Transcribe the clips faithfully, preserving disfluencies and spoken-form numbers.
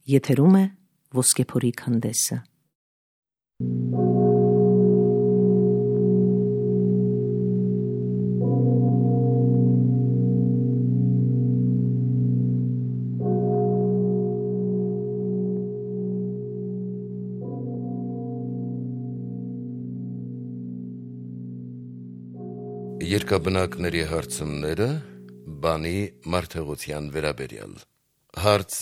Եթերում է Ոսկեփորի քանդեսը։ Երկաբնակների հարցումները բանի մարդեղության վերաբերյալ։ Հարց.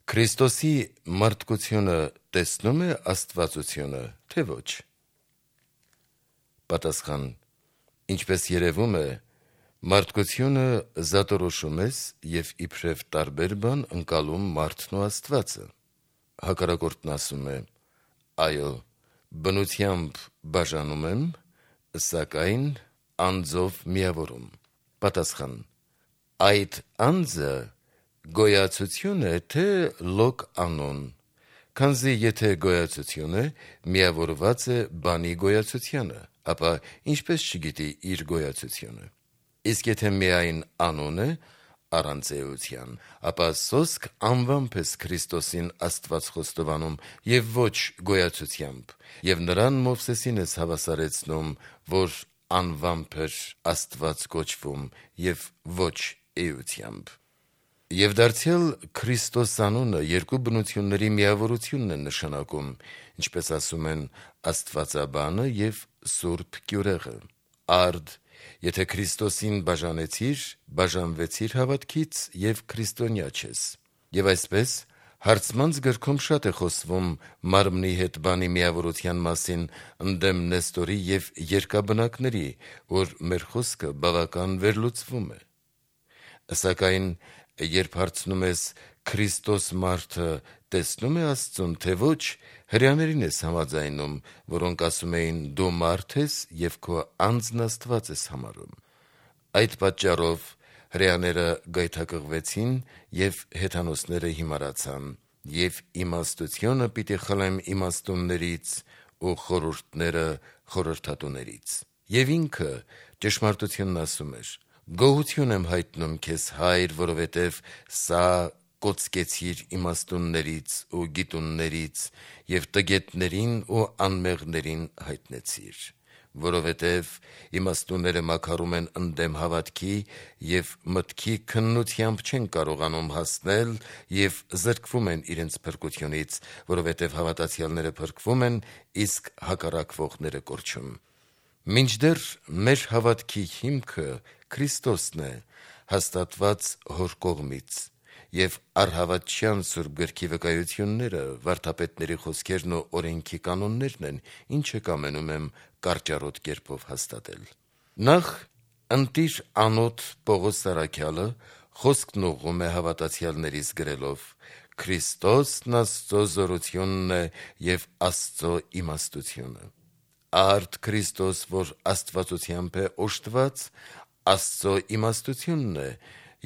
Քրիստոսի մարդկությունը տեսնում է աստվածությունը, թե ոչ։ Պատասխան. Ինչպես երևում է, մարդկությունը զատորոշում ես և իբրև տարբեր բան ընկալում մարդն ու Աստվածը։ Հակառակորդն ասում է. այո, բնությամբ բաժանում եմ, սակայն անձով միավորում։ Պատասխան. այդ անձը գոյացություն է, թե լոկ անուն, քանզի եթե գոյացություն է, միավորված է բանի գոյացությանը, ապա ինչպես չգիտի իր գոյացությունը։ Իսկ եթե միայն անուն է, առանց էության, ապա սոսկ անվամբ ես Քրիստոսին Աստված խոստովանում և ոչ գոյացությամբ, և նրան Մովսեսին ես հավասարեցնում, որ անվամբ էր Աստված կոչվում և ոչ էությամբ։ Եվ դարձյալ Քրիստոս անունը երկու բնությունների միավորությունն է նշանակում, ինչպես ասում են Աստվածաբանը և Սուրբ Կյուրեղը։ Արդ, եթե Քրիստոսին բաժանեցիր, բաժանվեցիր հավատքից և քրիստոնյա չես։ Եվ այսպես, Հարցմանց գրքում շատ է խոսվում մարմնի հետ բանի միավորության մասին ընդդեմ Նեստորի և երկաբնակների, որ մեր խոսքը բավական վերլուծվում է։ Սակայն, երբ հարցնում ես Քրիստոս մարդը տեսնո՞ւմ է Աստծուն, թե ոչ, հրեաներին ես համաձայնում, որոնք ասում էին դու մարդ ես և քո անձն Աստված ես համարում։ Այդ պատճառով հրեաները գայթակղվեցին և հեթանոսները հիմարացան, և իմաստությունը պիտի խլեմ իմաստուններից ու խորհուրդները խորհրդատուներից։ Եվ ինքը ճշմարտությունն ասում էր. գոհություն եմ հայտնում քեզ, Հայր, որովհետև սա կոծկեցիր իմաստուններից ու գիտուններից և տգետներին ու անմեղներին հայտնեցիր։ Որովհետև իմաստունները մաքարում են ընդդեմ հավատքի և մտքի քննությամբ չեն կարողանում հասնել և զրկվում են իրենց փրկությունից, որովհետև հավատացյալները փրկվում են, իսկ հակառակվողները կորչում։ Մինչդեռ մեր հավատքի հիմքը Քրիստոսն է, հաստատված Հոր կողմից, և առհավատչյան Սուրբ գրքի վկայությունները, վարդապետների խոսքերն ու օրենքի կանոններն են, ինչը կամենում եմ կարճառոտ կերպով հաստատել։ Նախ ընտիր անոթ Պողոս առաքյալը խոսքն ուղղում է հավատացյալներից գրելով. «Քրիստոսն Աստծո զորությունն է և Աստծո իմաստությունը»։ Արդ Քրիստոս, որ աստվածությամբ է օժտված, Աստծո իմաստությունն է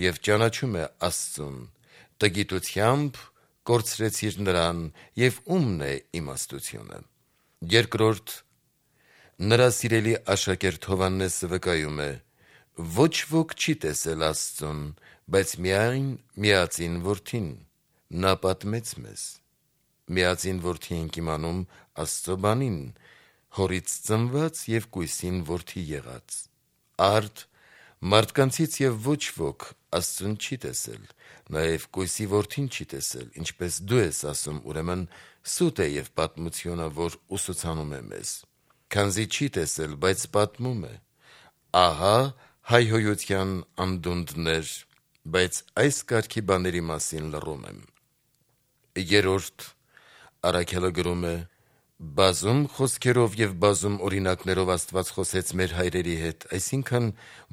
և ճանաչում է Աստծուն, տգիտությամբ կորցրեցիր նրան, և ո՞ւմն է իմաստությունը։ Երկրորդ, նրա սիրելի աշակերտ Հովհաննեսը վկայում է. «Ոչ ոք չի տեսել Աստծուն, բայց միայն միածին Որդին, նա պատմեց մեզ»։ Միածին Որդի ենք իմանում Աստծո բանին, հորից ծնված և կույսին որդի եղած։ Արդ, մարդկանցից և ոչ ոք Աստծուն չի տեսել, նաև կույսի որդին չի տեսել, ինչպես դու ես ասում, ուրեմն սուտ է և պատմությունը, որ ուսուցանում է մեզ։ Քանզի չի տեսել, բայց պատմում է։ Ահա հայհոյության անդունդներ, բայց այս կարգի բաների մասին լռում եմ։ Երրորդ, առաքյալը գրում է. «Բազում խոսքերով և բազում օրինակներով Աստված խոսեց մեր հայրերի հետ, այսինքն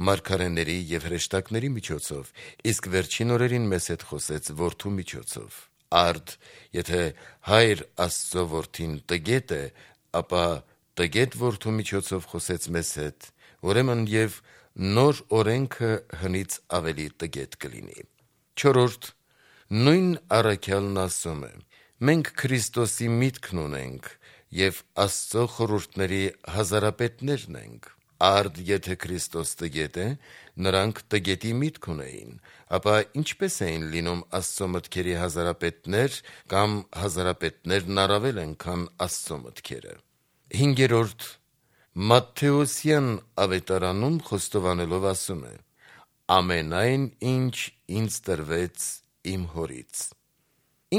մարգարեների և հրեշտակների միջոցով, իսկ վերջին օրերին մեզ հետ խոսեց Որդու միջոցով։ Արդ, եթե Հայր Աստծո Որդին տգետ է, ապա տգետ Որդու միջոցով խոսեց մեզ հետ, ուրեմն և նոր օրենքը հնից ավելի տգետ կլինի»։ Չորրորդ, նույն առաքյալն ասում է. «Մենք Քրիստոսի միտքն ունենք և Աստծո խորհուրդների հազարապետներն ենք»։ Արդ եթե Քրիստոս տգետ է, նրանք տգետի միտք ունեին, ապա ինչպես էին լինում Աստծո մտքերի հազարապետներ, կամ հազարապետներն առավել են, քան Աստծո մտքերը։ Հինգերորդ Մատթեոսյան ավետարանում խոստովանելով ասում է. «Ամենայն ինչ ինձ տրվեց իմ հորից»։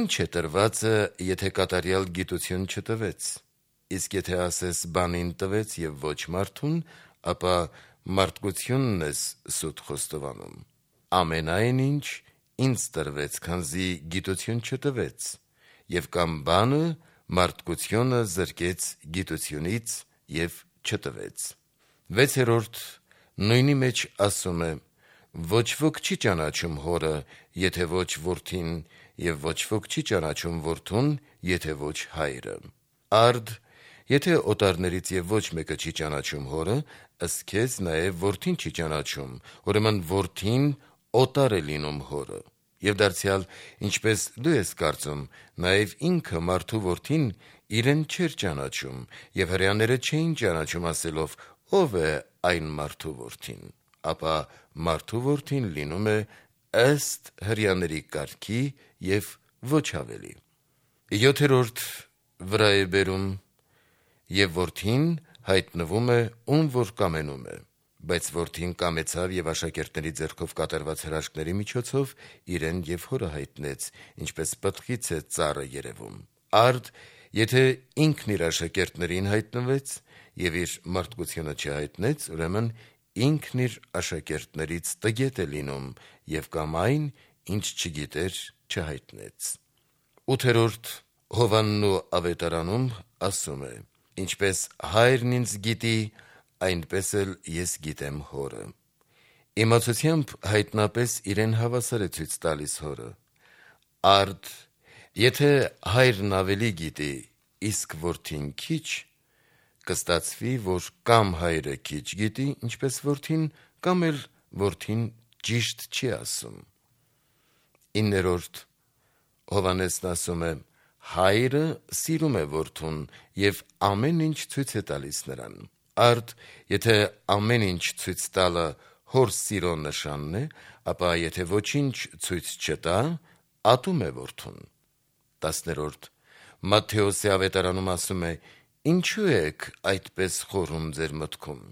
Ինչ է տրվածը, եթե կատարյալ գիտություն չտվեց, իսկ եթե ասես բանին տվեց և ոչ մարդուն, ապա մարդկությունն ես սուտ խոստովանում։ Ամենայն ինչ ինձ տրվեց, քանզի գիտություն չտվեց, և կամ բանը մարդկությունը զրկեց գիտությունից և չտվեց։ Վեցերորդ նույնի մեջ ասում է. «Ոչ ոք չի ճանաչում հորը, եթե ոչ որդին, և ոչ ոք չի ճանաչում որդուն, եթե ոչ հայրը»։ Արդ եթե օտարներից և ոչ մեկը չի ճանաչում հորը, ըստ քեզ նաև որդին չի ճանաչում, ուրեմն որդին օտար է լինում հորը։ Եվ դարձյալ, ինչպես դու ես կարծում, նաև ինքը մարդու որդին իրեն չէր ճանաչում, և հրեաները չէին ճանաչում ասելով. «Ո՞վ է այն մարդու որդին», ապա մարդու որդին լինում է ըստ հրեաների կարգի և ոչ ավելի։ Յոթերորդ վրա է բերում. «Եվ որդին հայտնվում է, ում որ կամենում է, բայց որդին կամեցավ և աշակերտների ձեռքով կատարված հրաշքների միջոցով իրեն և հորը հայտնեց, ինչպես պտղից է ծառը երևում»։ Արդ եթե ինքն իր աշակերտներին հայտնվեց և իր մարդկությունը չհայտնեց, ուրեմն ինքն իր աշակերտներից տգետ է լինում և կամ այն, ինչ չգիտեր, չհայտնեց։ Ութերորդ Հովհաննու ավետարանում ասում է. «Ինչպես հայրն ինձ գիտի, այնպես էլ ես գիտեմ հորը»։ Իմացությամբ հայտնապես իրեն հավասար է ցույց տալիս հորը։ Արդ եթե հայրն ավելի գիտի, իսկ որդին քիչ, կստացվի, որ կամ հայրը քիչ գիտի, ինչպես որդին, կամ էլ որդին ճիշտ չի ասում։ Իններորդ Հովհաննեսն ասում է. «Հայրը սիրում է որդուն և ամեն ինչ ցույց է տալիս նրան»։ Արդ եթե ամեն ինչ ցույց տալը հոր սիրո նշանն է, ապա եթե ոչինչ ցույց չտա, ատում է որդուն։ Տասներորդ Մատթեոսի ավետարանում ասում է. «Ինչու եք այդպես խորհում ձեր մտքում»։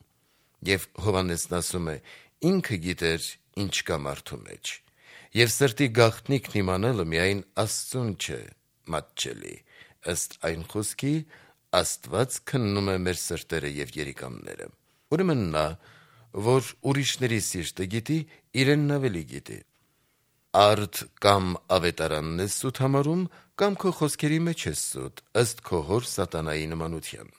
Եվ Հովհաննեսն ասում է. «Ինքը գիտեր, ինչ կա մարդու մեջ, և սրտի գաղտնիքն իմանալը միայն Աստծուն չէ մատչելի, ըստ այն խոսքի. Աստված քննում է մեր սրտերը և երիկամները»։ Ուրեմն նա, որ ուրիշների սիրտը գիտի, իրենն ավելի գիտի։ Արդ կամ ավետարանն ես սուտ համարում, կամ քո խոսքերի մեջ ես սուտ, ըստ քո հոր սատանայի նմանության։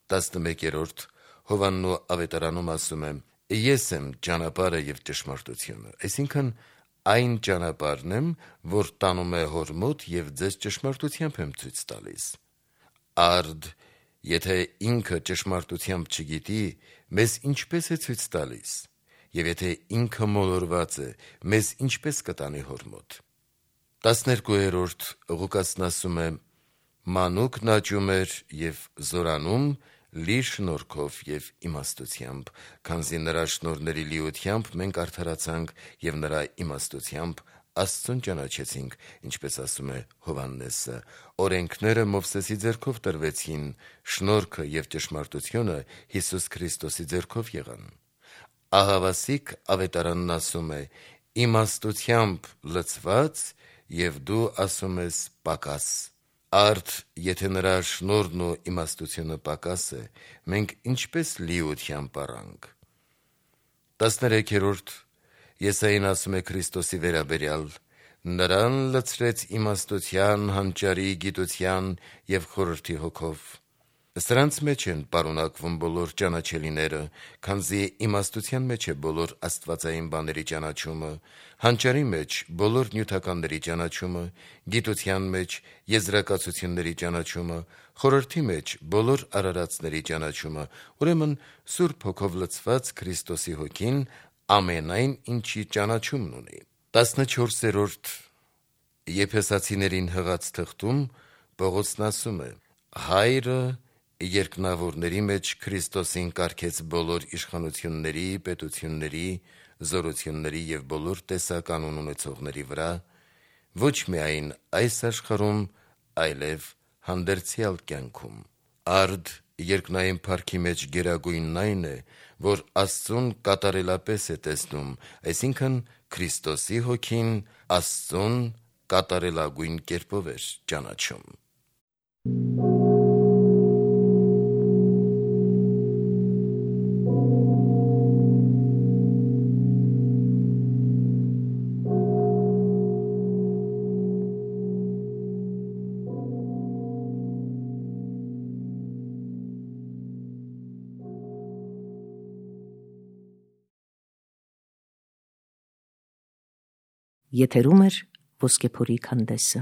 Տասնմեկերորդ Հովհաննու ավետարանում ասում է. «Ես եմ ճանապարհը և ճշմարտությունը», այսինքն այն ճանապարհն եմ, որ տանում է հոր մոտ, և ձեզ ճշմարտությամբ եմ ցույց տալիս։ Արդ եթե ինքը ճշմարտությամբ չգիտի, մեզ ինչպե՞ս է ցույց տալիս, և եթե ինքը մոլորված է, մեզ ինչպե՞ս կտանի հոր մոտ։ Տասներկուերորդ Ղուկասն ասում է. «Մանուկն աճում էր և զորանում լի շնորհքով և իմաստությամբ, քանզի նրա շնորհների լիությամբ մենք արդարացանք և նրա իմաստությամբ Աստծուն ճանաչեցինք, ինչպես ասում է Հովհաննեսը. օրենքները Մովսեսի ձեռքով տրվեցին, շնորհքը և ճշմարտությունը Հիսուս Քրիստոսի ձեռքով եղան»։ Ահավասիկ ավետարանն ասում է. «Իմաստությամբ լցված, և դու ասում ես պակաս»։ Արդ եթե նրա շնորհն ու իմաստությունը պակաս է, մենք ինչպե՞ս լիությամբ առանք։ Տասներեքերորդ Եսային ասում է Քրիստոսի վերաբերյալ. «Նրան լցրեց իմաստության, հանճարի, գիտության և խորհրդի հոգով»։ Սրանց մեջ են պարունակվում բոլոր ճանաչելիները, քանզի իմաստության մեջ է բոլոր աստվածային բաների ճանաչումը, հանճարի մեջ բոլոր նյութականների ճանաչումը, գիտության մեջ եզրակացությունների ճանաչումը, խորհրդի մեջ բոլոր արարածների ճանաչումը, ուրեմն Սուրբ Հոգով լցված Քրիստոսի Հոգին ամենայն ինչի ճանաչումն ունի։ Տասնչորսերորդ Եփեսացիներին հղած թղթում Պողոսն ասում է. «Հայրը երկնավորների մեջ Քրիստոսին կարգեց բոլոր իշխանությունների, պետությունների, զորությունների և բոլոր տեսականուն ունեցողների վրա, ոչ միայն այս աշխարհում, այլև հանդերձյալ կյանքում։ Արդ երկնային փառքի մեջ գերագույնն այն է, որ Աստծուն կատարելապես է տեսնում, այսինքն Քրիստոսի հոգին Աստծուն կատարելագույն կերպով էր ճանաչում։ Եթերում է «Ոսկեփորի քանդեսը»։